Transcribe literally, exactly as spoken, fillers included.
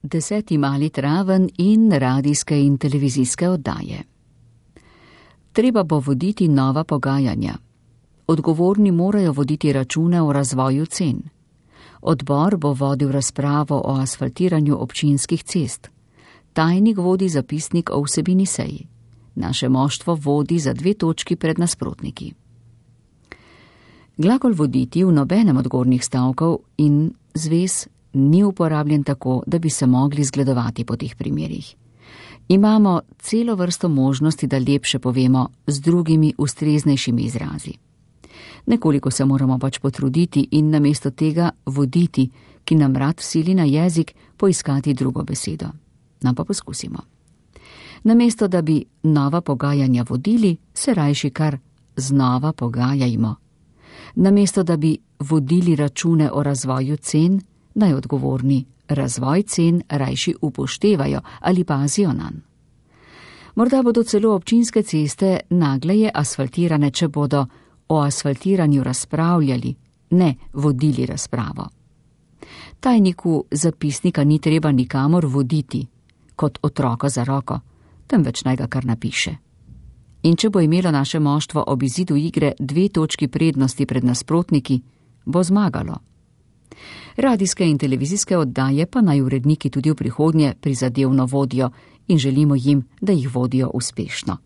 deseti mali traven in radijske in televizijske oddaje. Treba bo voditi nova pogajanja. Odgovorni morajo voditi račune o razvoju cen. Odbor bo vodil razpravo o asfaltiranju občinskih cest. Tajnik vodi zapisnik o vsebini seji. Naše moštvo vodi za dve točki pred nasprotniki. Glagol voditi v nobenem od gornjih stavkov in zvez ni uporabljen tako, da bi se mogli zgledovati po teh primerih. Imamo celo vrsto možnosti, da lepše povemo z drugimi ustreznejšimi izrazi. Nekoliko se moramo pač potruditi in namesto tega voditi, ki nam rad sili na jezik, poiskati drugo besedo. Nam pa poskusimo. Namesto da bi nova pogajanja vodili, se rajši kar znova pogajajmo. Namesto da bi vodili račune o razvoju cen, naj odgovorni razvoj cen rajši upoštevajo ali pazijo nanj. Morda bodo celo občinske ceste nagleje asfaltirane, če bodo o asfaltiranju razpravljali, ne vodili razpravo. Tajniku zapisnika ni treba nikamor voditi, kot otroka za roko, temveč naj ga kar napiše. In če bo imelo naše moštvo ob izidu igre dve točki prednosti pred nasprotniki, bo zmagalo. Radijske in televizijske oddaje pa naj uredniki tudi v prihodnje prizadevno vodijo in želimo jim, da jih vodijo uspešno.